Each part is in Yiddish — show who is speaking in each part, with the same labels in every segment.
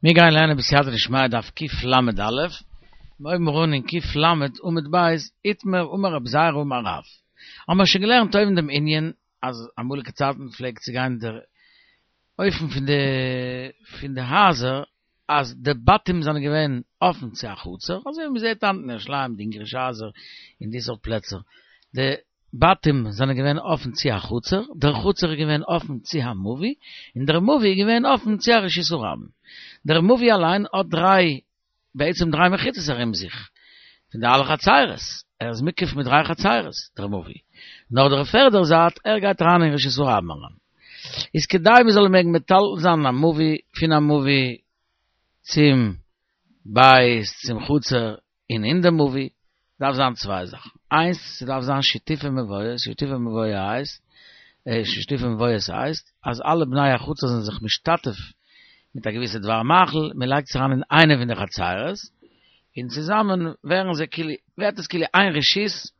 Speaker 1: מיר גייען לערנען בסייעתא דשמיא דף קל"א, מיר הויבן אן אין ק"ל עמוד ב', איתמר אמר רבי זירא אמר רב. האבן מיר שוין געלערנט אויבן דעם ענין אז אמאליגע צייטן פלעגט צו גיין דער אופן פון די פון די הייזער אז די בתים זענען געווען אפן צו א חצר, אזוי ווי מ'זעט היינט אין ירושלים די אונגערישע הייזער און די סארט פלעצער, די בתים זענען געווען אפן צו א חצר, דער חצר איז געווען אפן צו א מבוי, און דער מבוי איז געווען אפן צו א רשות הרבים. דער מבוי אליין האט דריי, בעצם דריי מחיצות ארום זיך, פון די אלע חצרות, ער איז מוקף מיט דריי חצרות, דער מבוי. נאר דער פערדער זייט, ער גייט אריין אין רשות הרבים אריין. איז כדי מען זאל מעגן מטלטל זיין א מבוי פון א מבוי צום בית, צום חצר, און אין די מבוי דארף זיין צוויי זאכן, איינס ס'דארף זיין שיתופי מבואות, שיתופי מבואות הייסט, שיתופי מבואות הייסט אז אלע בני החצר זענען זיך משתתף מיט א געוויסע דבר מאכל, מען לייגט עס אריין אין איינע פון די חצרות, און צוזאמען ווערן זיי כאילו, ווערט עס כאילו איין רשות,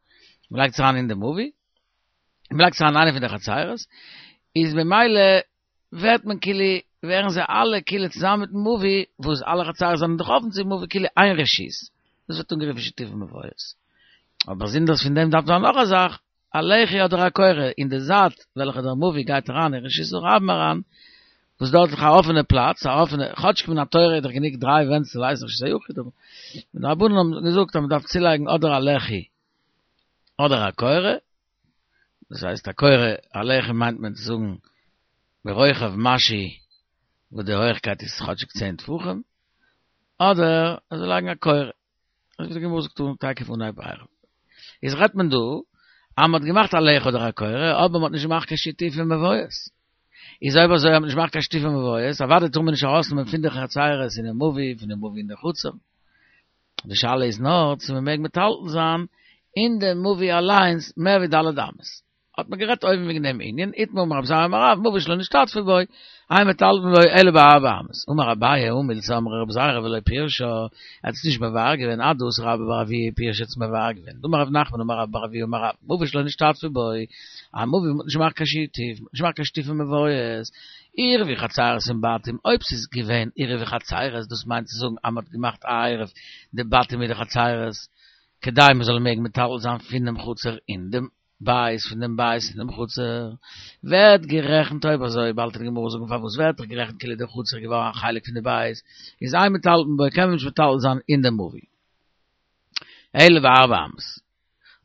Speaker 1: מען לייגט עס אריין אין די מבוי, מען לייגט עס אריין אין איינע פון די חצרות, איז ממילא ווערט מען כאילו, ווערן זיי אלע כאילו צוזאמען מיטן מבוי, וואס אלע חצרות זענען דאך אפן צום מבוי כאילו איין רשות, דאס ווערט אנגערופן שיתופי מבואות. אבער באזונדערס פון דעם דארף זיין נאך א זאך, א לחי אדער א קורה אין די זייט וועלכע דער מבוי גייט אריין אין רשות הרבים אריין, וואס דארט איז דאך א אפענע פלאץ, א אפענע, כאטשיג מן התורה איז דאך גענוג דריי ווענט צו הייסן רשות היחיד, אבער די רבנן האבן געזאגט אז מען דארף צולייגן אדער א לחי אדער א קורה, דאס הייסט א קורה, א לחי מיינט מען צו זאגן ברוחב משהו וואס די הויכקייט איז כאטשיג צען טפחים, אדער אזוי לייגן א קורה, אזוי ווי די גמרא זאגט אן תיכף אנהייב עירובין. איז רעדט מען דא אז מען האט געמאכט א לחי אדער א קורה, אבער מען האט נישט געמאכט קיין שיתופי מבואות. איז אויב אזוי אז מען האט נישט געמאכט קיין שיתופי מבואות, אוודאי טאר מען נישט ארויסנעמען פון די חצרות אינעם מבוי, פון די מבוי אין די חצר. די שאלה איז נאר צו מען מעג מטלטל זיין אין די מבוי אליינס מער ווי ד' אמות. האט מען גערעדט אויבן וועגן דעם ענין, איתמר אמר רב זירא אמר רב, מבוי שלא נשתתפו בו, אין מטלטלין בו אלא בארבע אמות. אמר אביי הא מילתא אמרה רב זירא ולא פירשה, ער האט עס נישט מבאר געווען עד דאתא רבה בר אבוה פירש האט עס מבאר געווען. דאמר רב נחמן אמר רבה בר אבוה אמר רב, מבוי שלא נשתתפו בו, א מבוי וואס מ'האט נישט געמאכט קיין שיתוף, מ'האט נישט געמאכט קיין שיתופי מבואות, עירבו חצרות עם בתים, אויב ס'איז געווען עירובי חצרות, דאס מיינט צו זאגן אז מ'האט געמאכט א עירוב די בתים מיט די חצרות, כדי מ'זאל מעגן מטלטל זיין פונעם חצר אין דעם בית, פון דעם בית אין דעם חצר, ווערט גערעכנט אויב אזוי, באלד וועט די גמרא זאגן פארוואס ווערט דאך גערעכנט כאילו דער חצר איז געווארן א חלק פון די בית, איז אין מטלטלין בו קען מען נישט מטלטל זיין אין דעם מבוי. אלא בארבע אמות.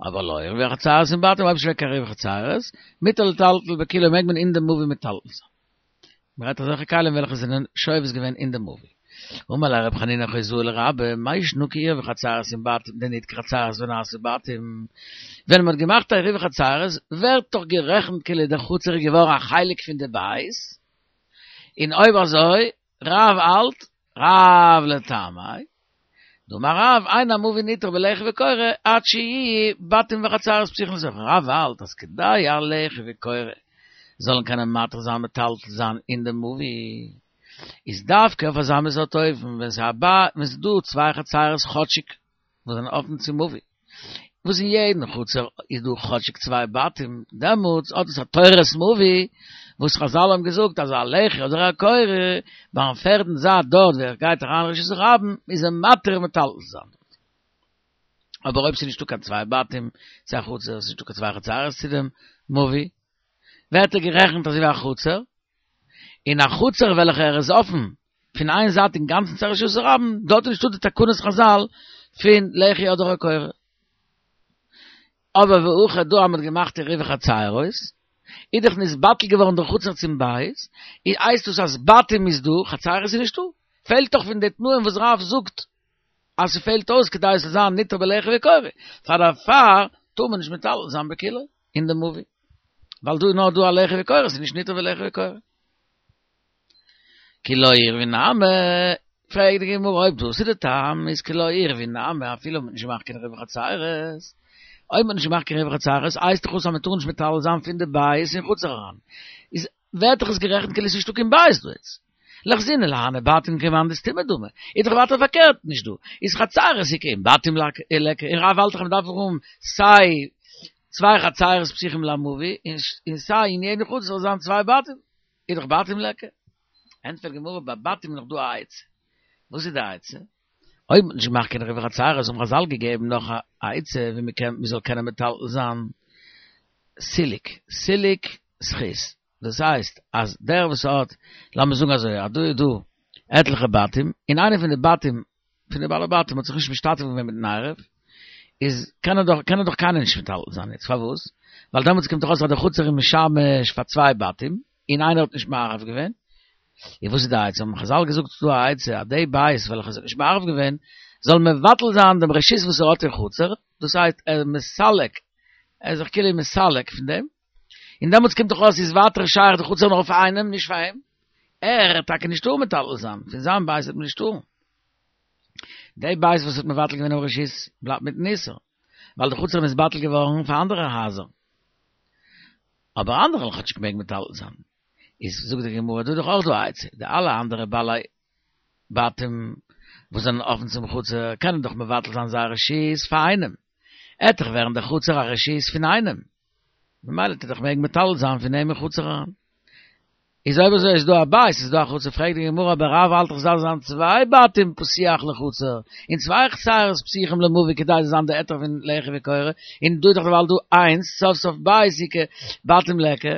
Speaker 1: אבער לא עירבו חצרות עם בתים אויב ס'איז נישט קיין עירובי חצרות, מותר לטלטל בכולו מעג מען אין די מבוי מטלטל זיין. מ'רעדט אזעלכע כלים וועלכע זענען שובת געווען אין די מבוי. אמר ליה רב חנינא חוזאי לרבה, מאי שנא כעירבו חצרות עם בתים דניתקו חצרות ונעשו בתים. ווען מ'האט געמאכט א עירובי חצרות ווערט דאך גערעכנט כאילו דער חצר איז געווארן א חלק פון די בית, און אויב אזוי רב האלט רב לטעמיה, דאמר רב, אין המבוי ניתר בלחי וקורה עד שיהיו בתים וחצרות פתוחין לתוכו. רב האלט אז כדי א לחי וקורה זאלן קענען מתיר זיין מטלטל זיין אין די מבוי, איז דווקא אויף אזא מין סארט אופן ווען ס'איז א ווען ס'איז דא צוויי חצרות כאטשיג וואס זענען אפן צום מבוי, וואס אין יעדן חצר איז דא כאטשיג צוויי בתים, דעמאלטס האט עס א תורת מבוי, וואס חזל האבן געזאגט אז א לחי אדער א קורה ביים פערדן זייט דארט ווי ער גייט אריין רשות הרבים איז ער מתיר מטלטל זיין דארט. אבער אויב ס'איז נישטא קיין צוויי בתים צו א חצר, ס'איז נישטא קיין צוויי חצרות צו דעם מבוי, ווערט ער גערעכנט אזוי ווי א חצר, און א חצר וועלכע ער איז אפן פון איין זייט אינגאנצן צו רשות הרבים, דארט איז נישטא די תקנות חזל פון לחי אדער א קורה. אבער והכא דא אז מ'האט געמאכט עירובי חצרות, איז דאך נתבטל געווארן דער חצר צום בית, איז הייסט דאס אז בתים איז דא, חצרות איז נישטא. פעלט דאך פון די תנאים וואס רב זאגט אז ס'פעלט אויס כדי עס זאל זיין ניתר בלחי וקורה, פאר דערפאר טאר מען נישט מטלטל זיין בכולו אין די מבוי, ווייל דא איז נאר דא א לחי וקורה, ס'איז נישט ניתר בלחי וקורה. כי לא עירבו נמי, פרעגט די גמרא אויב דאס איז די טעם, איז כי לא עירבו נמי אפילו מ'האט נישט געמאכט קיין עירובי חצירות, אויב מ'האט נישט געמאכט קיין עירובי חצירות הייסט דאך אויס אז מ'טאר נישט מטלטל זיין פון די בית אין חצר אריין, איז ווערט דאך עס גערעכנט כאילו עס איז נישטא קיין בית דא יעצט. ליחזינן להני בתים כמאן דסתמא דמי, איז דאך ווייטער פארקערט נישט דא, איז חצירות איכא און בתים ליכא, און רב האלט דאך מ'דארף האבן סיי צוויי חצירות פתוחים למבוי, און סיי אין יעדן חצר זאל זיין צוויי בתים. איז דאך בתים ליכא. ענטפערט גמרא ביי בתים איז נאך דא א עצה. וואס איז די עצה? אויב מ'האט נישט געמאכט קיין עירובי חצירות האבן חזל געגעבן נאך א עצה ווי מ'קען מ'זאל קענען מטלטל זיין סילוק, סילוק זכות, דאס הייסט אז דער וואס האט, לאמיר זאגן אזוי אז דא איז דא עטליכע בתים, און איינער פון די בתים פון די בעלי בתים האט זיך נישט משתתף געווען מיטן עירוב, איז קען ער דאך קען ער דאך קיינער נישט מטלטל זיין יעצט, פארוואס? ווייל דעמאלטס קומט דאך אויס אז די חצר איז משמש פאר צוויי בתים, און איינער האט נישט מערב געווען, און וואס איז די עצה? האבן חזל געזאגט ס'איז דא א עצה אז די בית וועלכע עס האט נישט מערב געווען זאל מבטל זיין דעם רשות וואס ער האט אין חצר, דאס הייסט ער איז מסלק, ער איז זיך כאילו מסלק פון דעם, און דעמאלטס קומט דאך אויס איז ווייטער שייך די חצר נאר אויף איינעם נישט פאר אים, ער וועט טאקע נישט טארן מטלטל זיין, פון זיין בית וועט מען נישט טארן. די בית וואס האט מבטל געווען דעם רשות בלייבט מיטן איסור, ווייל די חצר איז נתבטל געווארן פאר אנדערע הייזער. אבער אנדערע וועלן כאטשיג מעגן מטלטל זיין. איז זאגט די גמרא דא איז דאך אויך דא א עצה, די אלע אנדערע בעלי בתים וואס זענען אפן צום חצר קענען דאך מבטל זיין זייער רשות פאר איינעם, עט דאך ווערן די חצר א רשות פון איינעם, ממילא טוט דאך מעגן מטלטל זיין פון אים אין חצר אריין. איז אויב אזוי איז דא א בית איז דא א חצר, פרעגט די גמרא אבער רב האלט דאך ס'דארף זיין צוויי בתים פתוח לחצר, און צוויי חצרות פתוחים למבוי כדי ס'זאל זיין די היתר פון לחי וקורה, און דא איז דאך דערווייל דא איינס, סוף סוף בית איכא בתים ליכא,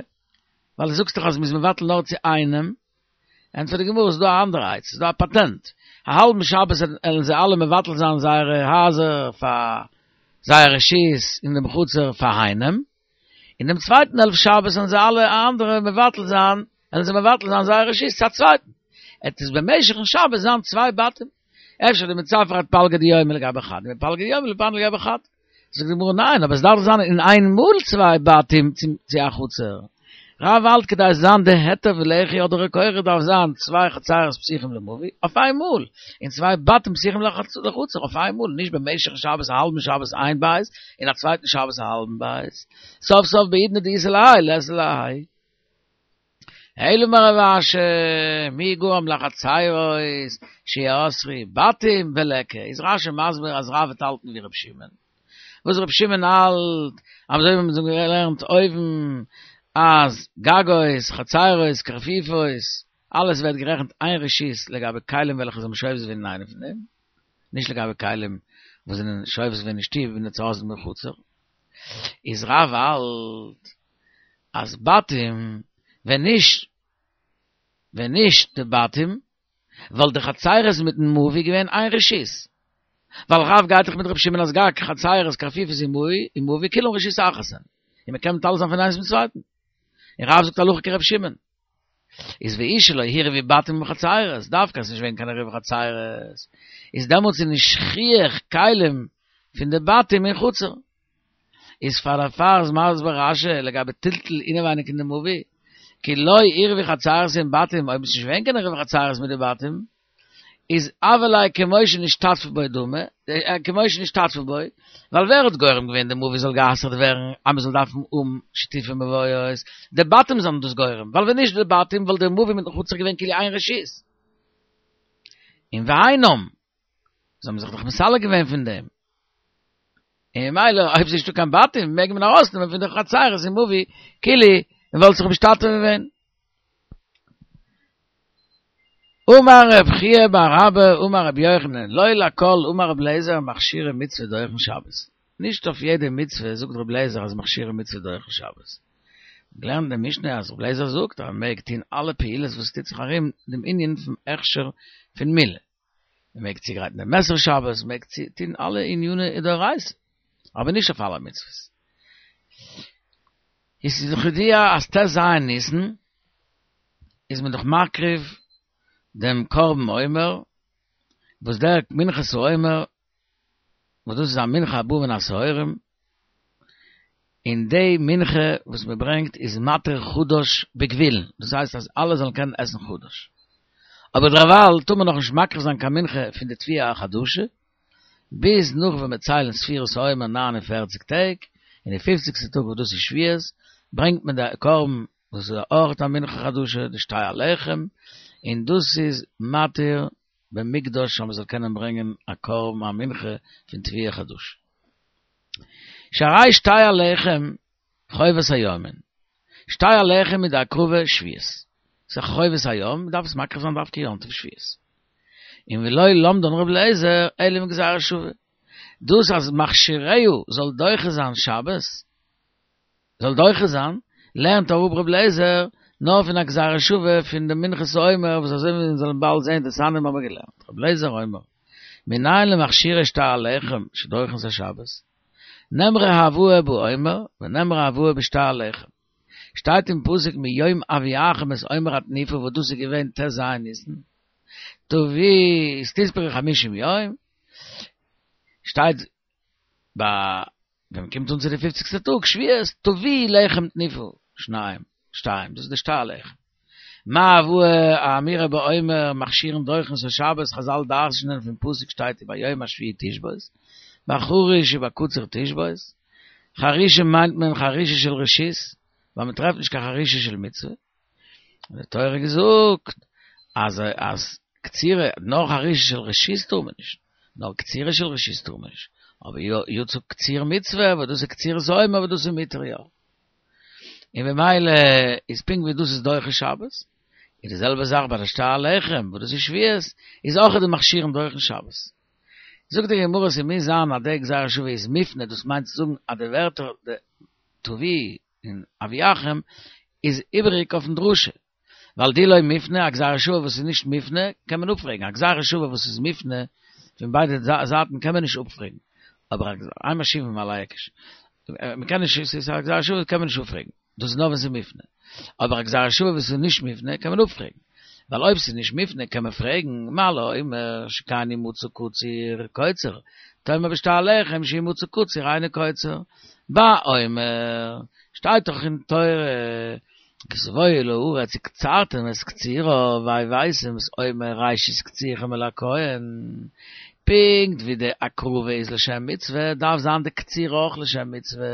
Speaker 1: ווייל דו זאגסט דאך אז מ'איז מבטל נאר צו איינעם, ענטפערט די גמרא ס'איז דא א אנדערע עצה, ס'איז דא א פאטענט, א האלבן שבת עלן זיי אלע מבטל זיין זייערע הייזער פאר זייער רשות אין דעם חצר פאר איינעם, און דעם צווייטן העלפט שבת וועלן זיי אלע אנדערע מבטל זיין, וועלן זיי מבטל זיין זייער רשות צו א צווייטן. עט עס במשך'ן שבת זיין צוויי בתים. אפשר דמצפר עד פלגא דיומא לגבי חד, ומפלגא דיומא לגבי חד. זאגט די גמרא ניין, אבער עס דארף זיין אין איין מאל צוויי בתים צו א חצר. רב האלט כדי עס זיין די היתר פון לחי אדער קורה דארף זיין צוויי חצרות פתוחים למבוי אויף איין מאל, און צוויי בתים פתוחים לחצר אויף איין מאל, נישט במשך שבת א האלבן שבת איין בית און א צווייטן שבת א האלבן בית, סוף סוף בעידנא דאיתא להאי לית להאי. אלא אמר רב אשי, מי גרם לחצירות שיאסרו בתים וליכא, איז רשי מסביר אז רב וועט האלטן ווי ר' שמעון, וואס ר' שמעון האלט, אזוי ווי מיר האבן געלערנט אויבן אז גגות, חצירות, קרפיפות, אלעס ווערט גערעכנט איין רשות לגבי כלים וועלכע זענען שובת געווען אין איינע פון דעם, נישט לגבי כלים וואס זענען שובת געווען אין שטוב און צו אין חצר. איז רב האלט אז בתים ווען נישט ווען נישט די בתים וואלט די חצירות מיטן מבוי געווען איין רשות, ווייל רב גייט דאך מיט רבי שמעון אז גג חצירות קרפיפות און מבוי כולם רשות אחת הן, און מען קען מטלטל זיין פון איינס צום צווייטן, און רב זאגט הלכה כרבי שמעון. איז ואי שלא עירבו בתים עם חצירות, דווקא אז ס'נישט געווען קיין עירוב חצירות, איז דעמאלטס איז נישט שכיח כלים פון די בתים אין חצר. איז פאר דערפאר איז מסביר רשי לגבי טלטול אינעווייניג אין די מבוי, כי לא עירבו חצירות עם בתים, אויב איז נישט געווען קיין עירוב חצירות מיט די בתים, איז הוה ליה כמו שנשתתפו בו דמי, כמו שנשתתפו בו, ווייל ווער האט גורם געווען די מבוי זאל גע'אסר'ט ווערן אז מען זאל דארפן האבן שיתופי מבואות, די בתים זענען דאס גורם, ווייל ווען נישט די בתים וואלט די מבוי מיטן חצר געווען כאילו איין רשות. און והאינם, זיי האבן זיך דאך מסלק געווען פון דעם. און ממילא אויב ס'איז נישטא קיין בתים מעג מען ארויסנעמען פון די חצרות אין מבוי כאילו מען וואלט זיך משתתף געווען. אמר רב חייא בר אבא אמר רבי יוחנן לא לכל אמר רבי אליעזר מכשירי מצוה דוחין שבת. נישט אויף יעדע מצוה זאגט רבי אליעזר אז מכשירי מצוה דוחין שבת. געלערנט אין די משנה אז רבי אליעזר זאגט אז מען מעג טון אלע פעולות וואס טוט זיך ארום דעם ענין פון הכשר פון מילה. מען מעג צוגרייטן דעם מעסער שבת, מען מעג טון אלע עניני דאורייתא, אבער נישט אויף אלע מצוות. עס איז דאך ידוע אז ט"ז ניסן איז מען דאך מקריב דעם קרבן עומר, וואס דער מנחת העומר וואס דאס איז א מנחה הבאה מן השעורים, און די מנחה וואס מען ברענגט איז מתיר חדש בגבולין, דאס הייסט אז אלע זאלן קענען עסן חדש. אבער דערווייל טאר מען נאכנישט מקריב זיין קיין מנחה פון די תבואה החדשה, ביז נאך ווען מיר ציילן ספירת העומר 49 טעג, און די פופציגסטע טאג וואס דאס איז שבועות, ברענגט מען די קרבן וואס איז אויך א מנחה חדשה, די שתי הלחם, און דאס איז מתיר במקדש אז מען זאל קענען ברענגען א קרבן א מנחה פון תבואה חדשה. שהרי שתי הלחם חובת היום הן. שתי הלחם איז די הקרבה שבועות. ס'איז א חובת היום, מען דארף עס מקריב זיין דווקא יום טוב שבועות. און ולא למדן ר' אליעזר אלא מגזירה שוה. דאס אז מכשיריה זאל דוחה זיין שבת, זאל דוחה זיין, לערנט אראפ ר' אליעזר נאר פון א גזירה שוה פון די מנחת העומר וואס אזוי ווי מיר זאלן באלד זען דתניא האבן מיר געלערנט ר' אליעזר אומר מנין למכשירי שתי הלחם שדוחין את השבת נאמרה הבאה בעומר ונאמרה הבאה בשתי הלחם שטייט אין פסוק מיום הביאכם את עומר התנופה וואס דאס איז געווען ט ז ניסן תביא איז תספרו חמישים יום שטייט ביי ווען מען קומט אן צו די פופציגסטע טאג שבועות תביאו לחם תנופה שניים שתיים דאס איז די שתי הלחם מה הבאה האמורה בעומר מכשירין דוחין את השבת חזל דרש'נען פון פסוק שטייט וביום השביעי תשבות בחריש ובקציר תשבות חרישה מיינט מען חרישה של רשות ווייל מען טרעפט נישט קיין חרישה של מצוה האט די תורה געזאגט אז אז קצירה נאר חרישה של רשות טאר מען נישט, נאר קצירה של רשות טאר מען נישט, אבער יצא קציר מצוה וואס דאס איז קצירת העומר וואס דאס איז מותר יא. און במילא איז פונקט ווי דאס איז דוחה שבת, איז די זעלבע זאך ביי די שתי הלחם וואס דאס איז שבועות, איז אויך די מכשירין דוחין שבת. זאגט די גמרא ס'מוז זיין אז די גזירה שוה איז מופנה דאס מיינט צו זאגן אז די ווערטער די תביאו און הביאכם איז איבעריג אויפן דרשה, ווייל דאי לא מופנה, א גזירה שוה וואס איז נישט מופנה קען מען אפפרעגן, א גזירה שוה וואס איז מופנה פון ביידע זייטן קען מען נישט אפפרעגן, אבער אין משיבים על ההיקש, מען קען נישט, ס'איז א גזירה שוה קען מען נישט אפפרעגן, דאס איז נאר ווען ס'איז מופנה, אבער א גזירה שוה וואס איז נישט מופנה קען מען אפפרעגן, ווייל אויב ס'איז נישט מופנה קען מען פרעגן, מה לעומר שכן ימצא קציר קוצר, תאמר בשתי הלחם שאם מצא קציר אינו קוצר, בעומר, שטייט דאך אין תורה, כי תבואו אל הארץ וקצרתם את קצירה והבאתם את עומר ראשית קצירכם אל הכהן, פונקט ווי די הקרבה איז לשם מצוה, דארף זיין די קצירה אויך לשם מצוה,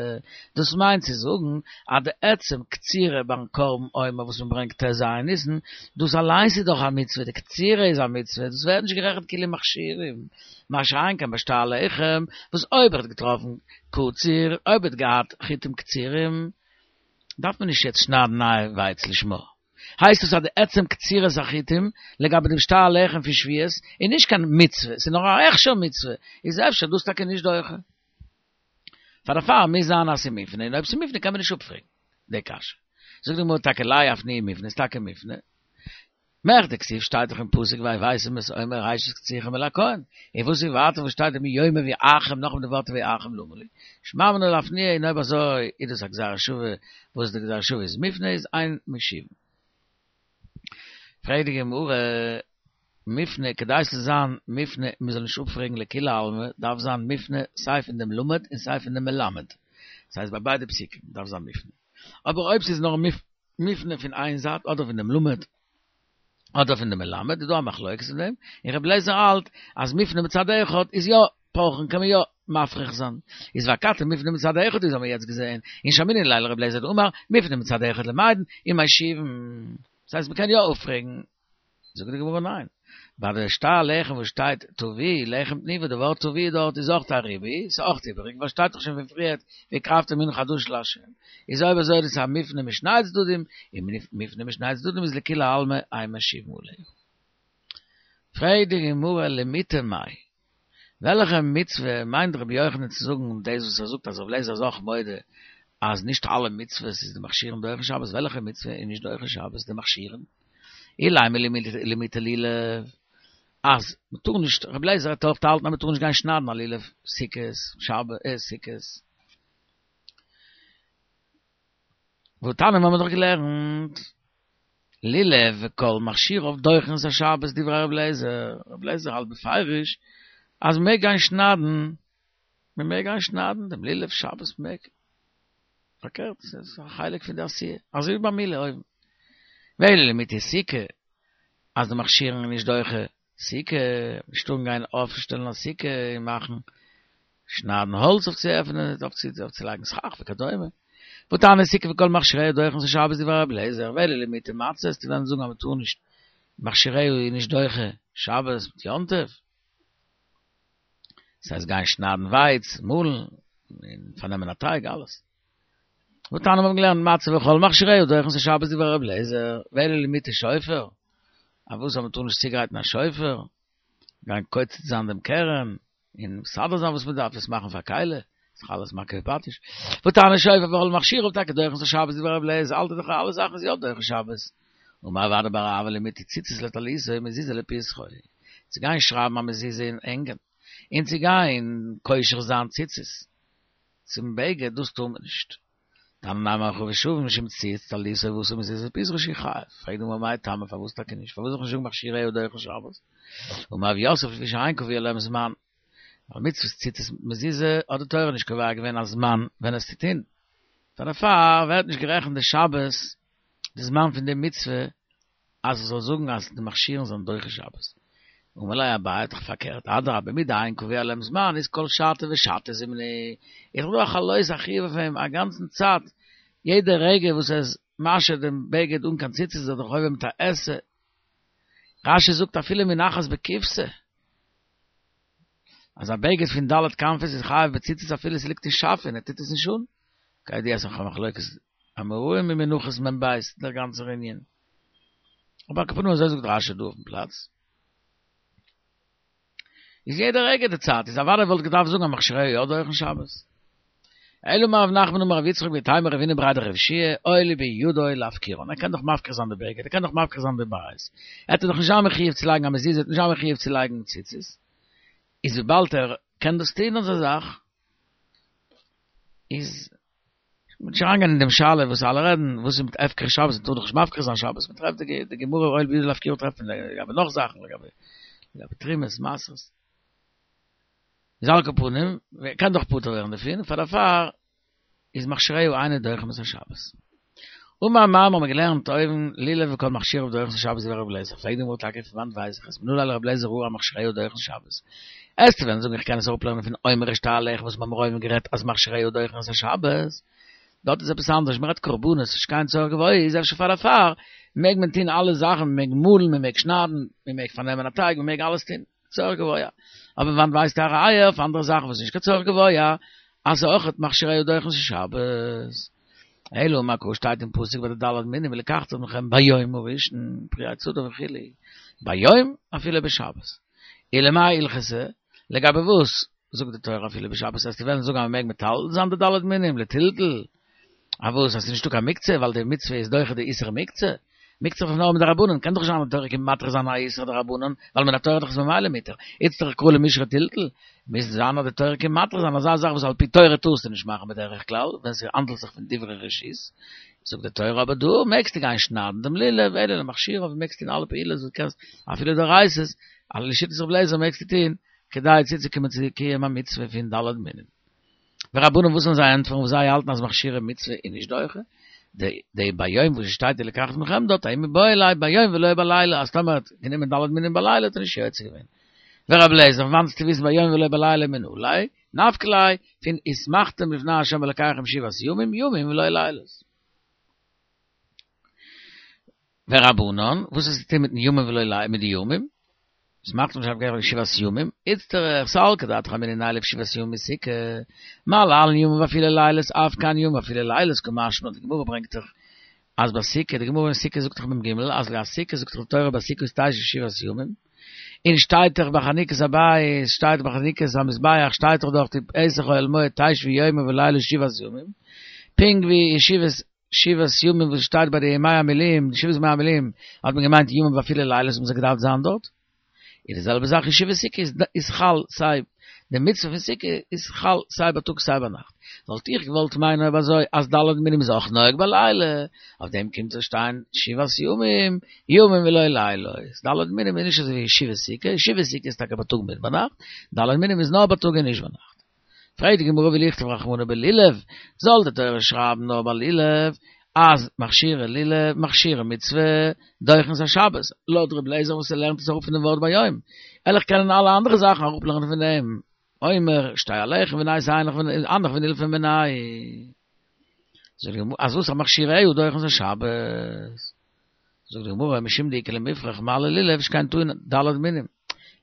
Speaker 1: דאס מיינט צו זאגן אז די עצם קצירה ביים קרבן עומר וואס מען ברענגט ט ז ניסן, דאס אליינס איז דאך א מצוה, די קצירה איז א מצוה, דאס ווערט נישט גערעכנט כאילו מכשירים. מה שאין כן ביי שתי הלחם, וואס אויב ער האט געטראפן קציר, אויב ער האט געהאט חיטים קצירים, דארף מען נישט יעצט שניידן נייע ווייץ לשמה. הייסט עס אז די עצם קצירת החיטים לגבי דעם שתי הלחם פון שבועות איז נישט קיין מצוה, ס'איז נאר א הכשר מצוה, איז אפשר דאס טאקע נישט דוחה. פאר דערפאר מוז זיין אז ס'איז מופנה, און אויב ס'איז מופנה קען מען נישט אפפרעגן די קשיא. זאגט די גמרא טאקע לאו לאפנויי מופנה, איז טאקע מופנה. מכדי כתיב שטייט דאך אין פסוק והבאתם את עומר ראשית קצירכם אל הכהן, און וואס איז ווייטער וואס שטייט מיום הביאכם נאכדעם די ווארט הביאכם למה לי, שמע מינה לאפנויי און אויב אזוי איז דאס א גזירה שווה וואס די גזירה שווה איז מופנה איז אין משיבין. פרעגט די גמרא, מופנה כדי ס'זאל זיין מופנה און מ'זאל נישט אפפרעגן לכולי עלמא דארף זיין מופנה סיי פון דעם למד און סיי פון דעם מלמד, דאס הייסט ביי ביידע פסוקים דארף זיין מופנה, אבער אויב ס'איז נאר מופנה פון איין זייט אדער פון דעם למד אדער פון דעם מלמד איז דא א מחלוקת אין דעם, און רבי אליעזר האלט אז מופנה מצד אחד איז יא פרכין קען מען יא מפריך זיין, איז ואכתי מופנה מצד אחד איז האמיר יעצט געזעהן און שמעינן ליה לרבי אליעזר דאמר מופנה מצד אחד למדין ומשיבין, דאס הייסט מען קען יא אפפרעגן. זאגט די גמרא ניין, ביי די שתי הלחם וואס שטייט תביאו לחם תנופה די ווארט תביאו דארט איז אויך א ריבוי, ס'איז אויך איבעריג ווייל שטייט דאך שוין פון פריערט והקרבתם מנחה חדשה לה', איז אויב אזוי איז עס א מופנה משני צדדים, און מופנה משני צדדים איז לכולי עלמא אין משיבין עליה. פרעגט די גמרא למעוטי מאי, וועלכע מצוה מיינט רבי יוחנן צו זאגן דאס וואס ער זאגט אז רבי אליעזר איז אויך מודה אז נישט אלע מצוות איז די מכשירין דוחין שבת, וועלכע מצוה איז נישט דוחה שבת די מכשירין? אילימא למעוטי לולב, אז מ'טאר נישט, רבי אליעזר האט אויך געהאלטן אז מ'טאר נישט גיין שניידן א לולב סוכות, שבת, סוכות. והתניא האבן מיר דאך געלערנט, לולב וכל מכשיריו דוחין את השבת דברי רבי אליעזר, רבי אליעזר האלט בפירוש אז מ'מעג גיין שניידן, מ'מעג גיין שניידן דעם לולב שבת מ'מעג, פארקערט ס'איז א חלק פון די עשיה, אזוי ווי ביי מילה אויבן. ואלא למעוטי סוכה, אז די מכשירין איז נישט דוחה סוכה, נישט טארן גיין אויפשטעלן א סוכה און מאכן שניידן האלץ אויף צו עפענען, אויף צו אויף צו לייגן סכך וכדומה. והתניא סוכה וכל מכשיריה דוחין את השבת דברי רבי אליעזר, ואלא למעוטי מצות, צו וועלן זאגן אז מען טאר נישט מכשיריה איז נישט דוחה שבת מיט יום טוב. ס'הייסט גיין שניידן ווייץ, מאלן, און פארנעמען א טייג, אלעס. והתניא מיר האבן געלערנט מצה וכל מכשיריה דוחין את השבת דברי רבי אליעזר, ואלא למעוטי שופר, אז וואס אז מען טאר נישט צוגרייטן א שופר? גיין קוצץ זיין דעם קרן, און מסדר זיין וואס מען דארף, עס מאכן פאר כלי, איז דאך אלעס מכה בפטיש. והתניא שופר וכל מכשיריו טאקע דוחין את השבת דברי רבי אליעזר האלט ער דאך אלע זאכן איז יא דוחה שבת. אמר רב אדא בר אהבה למטי ציצית לטליתו מזוזה לפתחו. צו גיין שרייבן א מזוזה און הענגען, און צו גיין קושר זיין ציצית צום בגד דאס טאר מען נישט. תניא נמי הכי ושווין שאם צייץ טליתו ועשה מזוזה לפתחו שהוא חייב. פרעגט די גמרא מאי טעמא פארוואס טאקע נישט? פארוואס זאל איך נישט זאגן מכשיריה דוחין שבת? אמר רב יוסף לפי שאין קבוע להם זמן. ווייל מצוות ציצית מזוזה האט די תורה נישט קובע געווען א זמן ווען עס צו טון. דערפאר ווערט נישט גערעכנט די שבת די זמן פון די מצוה אז איך זאל זאגן אז די מכשירין זענען דוחה שבת. אמר ליה אביי דאך פארקערט, אדרבה מדאין קבוע להם זמן איז כל שעתא ושעתא זימנא, איז דאך דא א חלות א חיוב אויף אים א גאנצן צייט, יעדע רגע וואס ער איז משהה דעם בגד אן קיין ציצית איז ער דאך עובר מיט א עשה. רש"י זאגט אפילו מונחת בקופסא, אז א בגד פון ד' כנפות איז חייב בציצית אפילו ס'ליגט אין שאפע און ער טוט עס נישט אן. כידוע ס'איז א מחלוקת אמוראים אין מנחות מ"ב דער גאנצער ענין. אבער על כל פנים אזוי זאגט רש"י דא אויפן פלאץ. איז יעדע רגע די צייט איז אוודאי וואלט געדארפט זאגן אז מכשיריה יא דוחין שבת. אלא אמר רב נחמן אמר רב יצחק ואיתימא רב הונא בריה דרב יהושע אוי בידו להפקירן ער קען דאך מפקיר זיין די בגד ער קען דאך מפקיר זיין די בית ער וועט דאך נישט זיין מחויב צו לייגן א מזוזה ער וועט נישט זיין מחויב צו לייגן ציצית איז וויבאלד ער קען דאס טון אזא זאך איז מ'וועט נישט אריינגיין אין דעם שאלה וואס אלע רעדן, וואס איז מיט הפקר שבת, מ'טאר דאך נישט מפקיר זיין שבת, מ'טרעפט די גמרא אוהל בידו להפקירן טרעפט מען לגבי נאך זאכן, לגבי לגבי תרומות, מעשרות. איז על כל פנים, מ'קען דאך פטור ווערן דערפון, פאר דערפאר איז מכשיריה אינן דוחין את השבת. אמר מר האבן מיר געלערנט אויבן לולב וכל מכשיריו דוחין את השבת דברי רבי אליעזר, פרעגט די גמרא טאקע פון וואנט ווייס איך עס, מנא ליה לרבי אליעזר הא מכשיריה דוחין שבת? עסטו וועלן זאגן איך קען עס אראפלערנען פון אומר ושתי הלחם וואס מיר האבן אויבן גערעדט אז מכשיריה דוחין את השבת, דארט איז עפעס אנדערש, מען רעדט קרבנות, נישט קיין צורך גבוה, איז אפשר פאר דערפאר מעג מען טון אלע זאכן, מען מעג מאלן, מען מעג שניידן, מען מעג פארנעמען א טייג, מען מעג אלעס טון, צורך גבוה. אבער וואנט ווייסטו א ראיה אויף אנדערע זאכן וואס איז נישט קיין צורך גבוה, אז ס'איז אויכעט מכשיריה דוחין את השבת. אלא אמר קרא שטייט אין פסוק ביי די ד' מינים ולקחתם לכם ביום הראשון פרי עץ הדר וכו' ביום אפילו בשבת ולמאי הלכתא לגבי וואס זאגט די תורה אפילו בשבת וועסטו וועלן זאגן אז מ'מעג מטלטל זיין די ד' מינים לטלטול אויף וואס אז ס'איז נישטא קיין מוקצה ווייל די מצוה איז דוחה די איסור מוקצה מוקצה איז נאר מדרבנן קען דאך נישט זיין אז די תורה קומט מתיר זיין א איסור דרבנן ווייל מן התורה דאך איז ממילא מותר איצטריך קרא למישרי טלטול מוז זיין אז די תורה קומט מתיר זיין אזא זאך וואס על פי תורה טארסטו נישט מאכן בדרך כלל ווען ס'האנדלט זיך פון דברי רשות, זאגט די תורה אבער דא מעגסטו גיין שניידן דעם לולב אלא למכשיריו און מעגסט טון אלע פעולות וואס קענסט אפילו דאורייתא'ס, אלע לשיטת רבי אליעזר מעגסטו טון כדי צוצוקומען צו קיום המצוה פון ד' מינים. ורבנן וואס זאלן זיי ענטפערן וואס זיי האלטן אז מכשירי מצוה איז נישט דוחה די די ביום וואס שטייט ולקחתם לכם דארט ההוא מיבעי ליה ביום ולא בלילה אז טאמער האט גענומען ד' מינים בלילה האט ער נישט יוצא געווען. ורבי אליעזר פון וואנעט וועסטו וויסן ביום ולא בלילה מנא ליה נפקא ליה פון ושמחתם לפני ה' אלקיכם שבעת ימים ימים ולא לילות. ורבנן, וואס איז צו טון מיטן ימים ולא לילות, מיט די ימים? ושמחתם לפני ה' אלקיכם שבעת ימים, איצטריך סלקא דעתך אמינא נילף שבעת ימים מסוכה, מה להלן ימים ואפילו לילות, אף כאן ימים ואפילו לילות, קא משמע לן, די גמרא ברענגט דאך אז ביי סוכה, די גמרא אין סוכה זאגט דאך מ"ג, אז ביי סוכה זאגט דאך די תורה בסוכות תשבו שבעת ימים, און שטייט דאך ביי חנוכת הבית, שטייט ביי חנוכת המזבח, שטייט דאך דארט בפתח אוהל מועד תשבו יומם ולילה שבעת ימים, פונקט ווי ישיבת שבעת ימים וואס שטייט ביי די ימי המילואים, די שבעת ימי המילואים האט מען געמיינט ימים ואפילו לילות האבן זיי געדארפט זיין דארט, איז די זעלבע זאך ישיבת סוכה איז חל סיי די מצוה פון סוכה איז חל סיי בייטאג סיי ביינאכט, וואלט איך געוואלט מיינען אויב אזוי אז ד' מינים איז אויך נוהג בלילה, אויף דעם קומט צו שטיין שבעת ימים, ימים ולא לילות, ד' מינים איז נישט אזוי ווי ישיבת סוכה, ישיבת סוכה איז טאקע בייטאג מיט ביינאכט, ד' מינים איז נאר בייטאג און נישט ביינאכט. פרעגט די גמרא ולכתוב רחמנא בלולב, זאל די תורה שרייבן נאר ביי לולב, אז מכשירי לולב, מכשירי מצוה, דוחין את השבת, לויט ר' אליעזר וואס ער לערנט עס אראפ פון דעם ווארט ביום, וועל איך קענען אלע אנדערע זאכן אראפלערנען פון דעם, אומר, שתי הלחם ונהי הנך ונילפי מיניה. זאגט די גמרא, אז וואס אז מכשיריה דוחין את השבת? זאגט די גמרא, משום דאיכא למיפרך מה ללולב שכן טעון ד' מינים,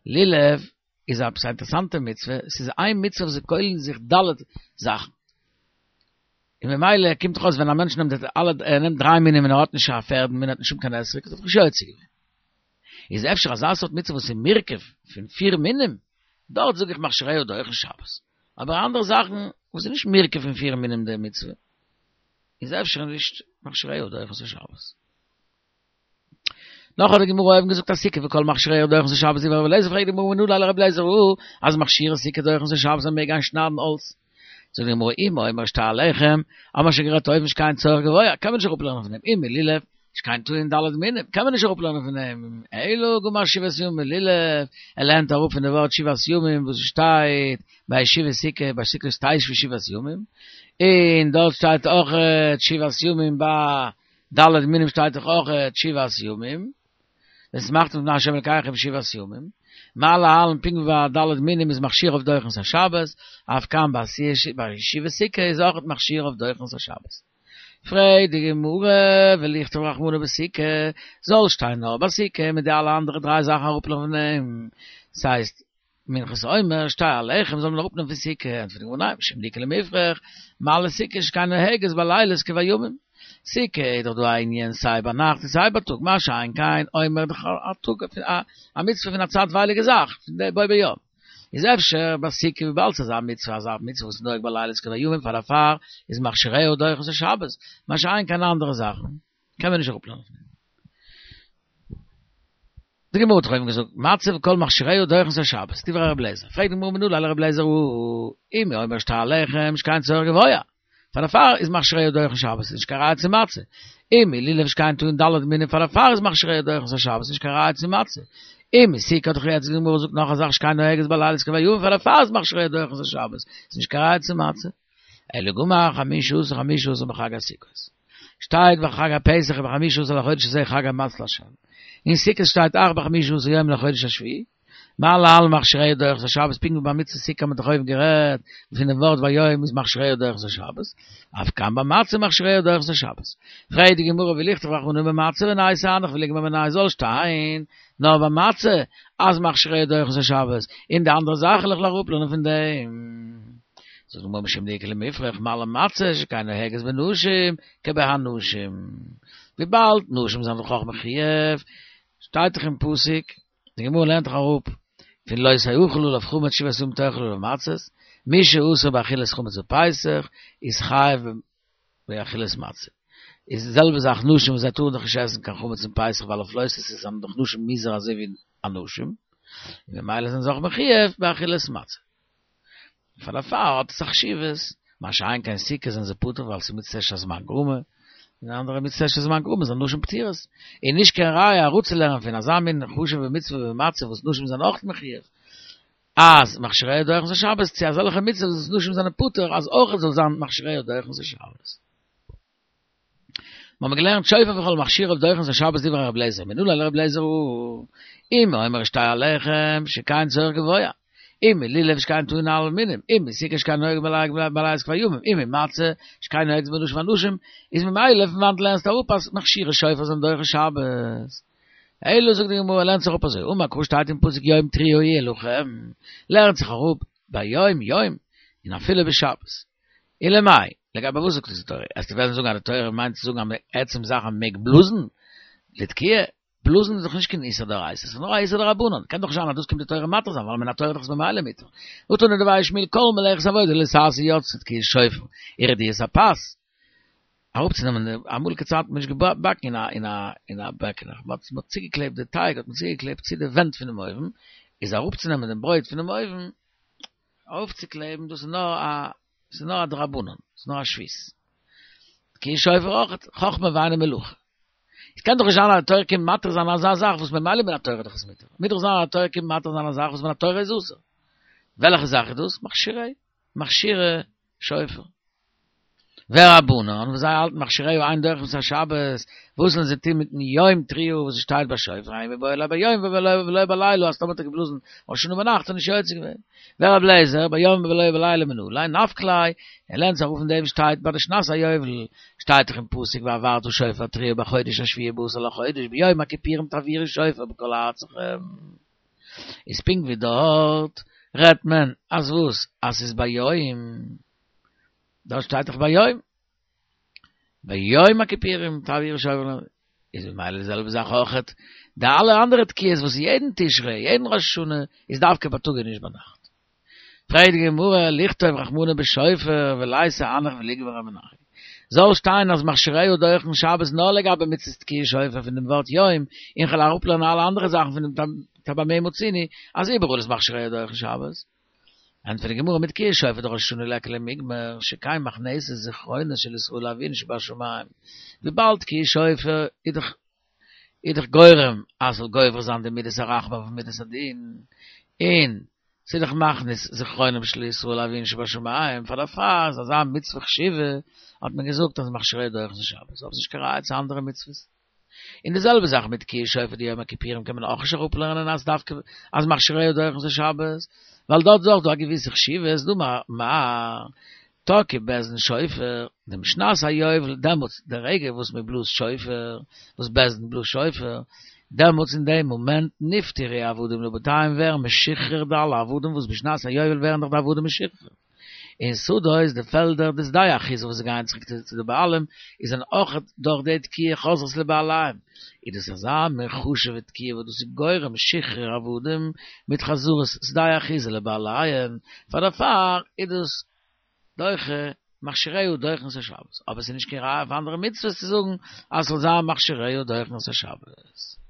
Speaker 1: לולב איז עפעס א אינטערעסאנטע מצוה, ס'איז איין מצוה וואס איז כולל אין זיך ד' זאכן. און ממילא קומט דאך אויס ווען א מענטש נעמט אלע, ער נעמט דריי מינים און ער האט נישט א פערדן מין, ער האט נישט שום קיין אתרוג, איז ער דאך נישט יוצא געווען. איז אפשר אזא סארט מצוה וואס איז מורכב פון פיר מינים, דארט זאג איך מכשיריה דוחין שבת. אבער אנדערע זאכן וואס איז נישט מורכב פון פיר מינים די מצוה, איז אפשר נישט מכשיריה דוחין שבת. נאך האט די גמרא אויבן געזאגט אז סוכה וכל מכשיריה דוחין את השבת דברי רבי אליעזר פרעגט די גמרא מנא ליה לרבי אליעזר אז מכשירי סוכה דוחין את השבת מען מעג גיין שניידן האלץ זאגט די גמרא אם אומר שתי הלחם האבן מיר שוין גערעדט אויבן שכן צורך גבוה קען מען נישט אראפלערנען פון דעם אם מלולב שכן טעון ד' מינים קען מען נישט אראפלערנען פון דעם אלא גמר שבעת ימים מלולב ער לערנט אראפ פון די ווארט שבעת ימים וואס שטייט ביי ישיבת סוכה בסוכות תשבו שבעת ימים און דארט שטייט אויך שבעת ימים ביי ד' מינים שטייט דאך אויך שבעת ימים, ושמחתם לפני השם אלקיכם שבעת ימים, מה להלן פונקט ווי ביי ד' מינים איז מכשיריו דוחין את השבת, אף כאן ביי ישיבת סוכה איז אויך מכשיריו דוחין את השבת. פרעגט די גמרא ולכתוב רחמנא בסוכה, זאל שטיין נאר ביי סוכה מיט די אלע אנדערע דריי זאכן אראפלערנען פון דעם, ס'הייסט מנחת העומר, שתי הלחם זאל מען אראפנעמען פון סוכה, ענטפערט די גמרא ניין, משום דאיכא למיפרך, מה לסוכה שכן נוהגת בלילות כבימים. סוכה איז דאך דא א ענין סיי ביינאכט און סיי בייטאג, מה שאין כן עומר דאך א טאג א מצוה פון א צייטווייליגע זאך, פון די בו ביום. איז אפשר ביי סוכה וויבאלד ס'איז א מצוה אזא מצוה וואס איז נוהג בלילות כבימים פאר דערפאר איז מכשיריה דוחין את השבת, מה שאין כן אנדערע זאכן קען מען נישט אראפלערנען פון דעם. די גמרא האט דאך אויבן געזאגט, מצה וכל מכשיריה דוחין את השבת, דברי רבי אליעזר, פרעגט די גמרא מנא ליה לרבי אליעזר אם הוא אומר שתי הלחם שכן צורך גבוה, פאר דערפאר איז מכשיריה דוחין שבת, איז נישט קיין ראיה צו מצה, אם מלולב שכן טעון ד' מינים פאר דערפאר איז מכשיריה דוחין את השבת, איז נישט קיין ראיה צו מצה, אם מסוכה האט דאך יעצט די גמרא געזאגט נאך א זאך שכן נוהגת בלילות כבימים פאר דערפאר איז מכשיריה דוחין את השבת, איז נישט קיין ראיה צו מצה. אלא גמר חמשה עשר חמשה עשר בחג הסוכות. שטייט בחג הפסח ובחמשה עשר לחודש הזה חג המצות להשם. אין סוכות שטייט אך בחמשה עשר יום לחודש השביעי. מה להלן מכשיריה דוחין את השבת, פונקט ווי ביי מצות סוכה האט מען דאך אויבן גערעדט פון דעם ווארט ביום איז מכשיריה דוחין את השבת, אף כאן במצה מכשיריה דוחין את השבת. פרעגט די גמרא ולכתוב רחמנא במצה ונייתי הנך וליגמר מינייהו זאל שטיין נאר ביי מצה אז מכשיריה דוחין את השבת, און די אנדערע זאכן וועל איך אראפלערנען פון דעם. זאגט די גמרא משום דאיכא למיפרך מה למצה שכן נוהגת בנשים כבהנשים, וויבאלד נשים זענען דאך אויך מחויב, שטייט דאך אין פסוק, די גמרא לערנט דאך אראפ פון לא תאכל עליו חמץ שבעת ימים תאכל עליו מצות, מי שאסור באכילת חמץ בפסח איז חייב באכילת מצה. איז די זעלבע זאך נשים וואס זיי טארן דאך נישט עסן קיין חמץ אין פסח ווייל אויף לא תעשה זענען דאך נשים מוזהר אזוי ווי אנשים, און ממילא זענען זיי אויך מחויב באכילת מצה. פאר דערפאר האט עס א חשיבות, מה שאין כן סוכה זענען זיי פטור ווייל ס'איז מצות עשה שהזמן גרמא, און אנדערע מצות עשה שהזמן גרמא זענען נשים פטורות, און נישט קיין ראיה אראפצולערנען פון אזא מין חשוב'ע מצוה ווי מצה וואס נשים זענען אויך מחויב, אז מכשיריה דוחין את השבת, צו אזעלכע מצוות וואס נשים זענען פטור אז אויך זאל זיין מכשיריה דוחין את השבת. מיר האבן געלערנט שופר וכל מכשיריו דוחין את השבת דברי רבי אליעזר, מנא ליה לרבי אליעזר אם הוא אומר שתי הלחם שכן צורך גבוה, אם מלולב שכן טעון ד' מינים, אם מסוכה שכן נוהג בלילות כבימים, אם ממצה שכן נוהגת בנשים כאנשים, איז ממילא פון וואנעט לערנסטו אראפ אז מכשירי שופר זענען דוחה שבת? אלא זאגט די גמרא לערנט זיך אפ אזוי, אמר קרא שטייט אין פסוק יום תרועה יהיה לכם, לערנט זיך אראפ ביום יום און אפילו בשבת. ולמאי, לגבי וואס זאגט עס די תורה? אז דו וועסט זאגן אז די תורה מיינט צו זאגן אז עצם זאך אז מ'מעג בלאזן לתקיעה, בלאזן איז דאך נישט קיין איסור דאורייתא, ס'איז נאר א איסור דרבנן, קען דאך נישט זיין אז דאס קומט די תורה מתיר זיין, ווייל מן התורה איז דאך עס ממילא מותר. והתנא דבי שמואל כל מלאכת עבודה לא תעשה יצתה תקיעת שופר, ורדיית הפת, אראפצונעמען די, אמאליגע צייטן האט מען נישט געבאקן אין א אין א אין א בעקעלעך, מען האט צוגעקלעבט די טייג האט מען צוגעקלעבט צו די ווענט פונעם אויוון, איז אראפצונעמען דעם ברויט פונעם אויוון, אויפצוקלעבן דאס איז נאר א ס'איז נאר א דרבנן, ס'איז נאר א שבות. תקיעת שופר אויך, חכמה ואינה מלאכה. עס קען דאך נישט זיין אז די תורה קומט מתיר זיין אזא זאך וואס ממילא מן התורה איז דאך עס מותר. מוז דאך זיין אז די תורה קומט מתיר זיין א זאך וואס מן התורה איז אסור. וועלכע זאך איז דאס? מכשירי, מכשירי שופר. ורבנן, וואס זיי האלטן מכשיריה אין דוחין את השבת, וואס זאלן זיי טון מיטן יום תרועה וואס עס שטייט ביי שופר, ההוא מיבעי ליה ביום ולא בלילה, אז טאמער האט ער געבלאזן ראש השנה ביינאכט איז נישט יוצא געווען. ור' אליעזר, ביום ולא בלילה מנא ליה, נפקא ליה, ער לערנט זיך אראפ פון דעם וואס שטייט ביי די שנת היובל, שטייט דאך אין פסוק והעברת שופר תרועה בחודש השביעי בעשור לחודש ביום הכיפורים תעבירו שופר בכל ארצכם. איז פונקט ווי דארט רעדט מען אז וואס? אז ס'איז ביום. דארט שטייט דאך ביום. ביום הכיפורים תעבירו שופר איז ממילא די זעלבע זאך אויכעט. די אלע אנדערע תקיעות וואס איז יעדן תשרי, יעדן ראש השנה, איז דווקא בייטאג און נישט ביינאכט. פרעגט די גמרא, לכתוב רחמנא בשופר וליתי אנח וליגמר מינייהו. זאל שטיין אז מכשיריה דוחין שבת נאר לגבי מצות תקיעת שופר פון דעם ווארט יום, און כ'וועל אראפלערנען אלע אנדערע זאכן פון דעם טא במה מצינו אז איבעראל איז מכשיריה דוחין שבת. ענטפערט די גמרא מתקיעת שופר דראש השנה ליכא למיגמר שכן מכנסת זכרונות של ישראל לאביהן שבשמים, וויבאלד תקיעת שופר איז דאך איז דאך גורם אז ס'זאל גובר זיין די מידת הרחמים אויף מידת הדין, און ס'איז דאך מכניס זכרונם של ישראל לאביהן שבשמים, פאר דערפאר איז אזא מצוה חשובה, האט מען געזאגט אז מכשיריה דוחין שבת, אבער ס'איז נישט קיין ראיה צו אנדערע מצוות. און די זעלבע זאך מיט תקיעת שופר דיום הכיפורים קען מען אויך נישט אראפלערנען אז דווקא אז מכשיריה דוחין שבת, ווייל דארט איז אויך דא א געוויסע חשיבות, דאמר מר. תקעו בית דין שופר, דמשנת היובל, דעמאלטס די רגע וואס מען בלאזט שופר, וואס בית דין בלאזט שופר, דעמאלטס אין דעם מאמענט נפטרו עבדים לבתיהם ווערן משוחרר די אלע עבדים וואס בשנת היובל ווערן דאך די עבדים משוחרר. און שדות, די פעלדער, דשדה אחוזה וואס זיי גייען צוריק צו די בעלים, איז זענען אויך דורך די תקיעה חוזרות לבעליהם. איז דאס אזא מין חשוב'ע תקיעה וואס דאס איז גורם שחרור עבדים מיט חזרת שדה אחוזה לבעליהם, פאר דערפאר איז דאס דוחה מכשיריה דוחין את השבת, אבער עס איז נישט קיין ראיה אויף אנדערע מצוות צו זאגן אז ס'זאל זיין מכשיריה דוחין את השבת.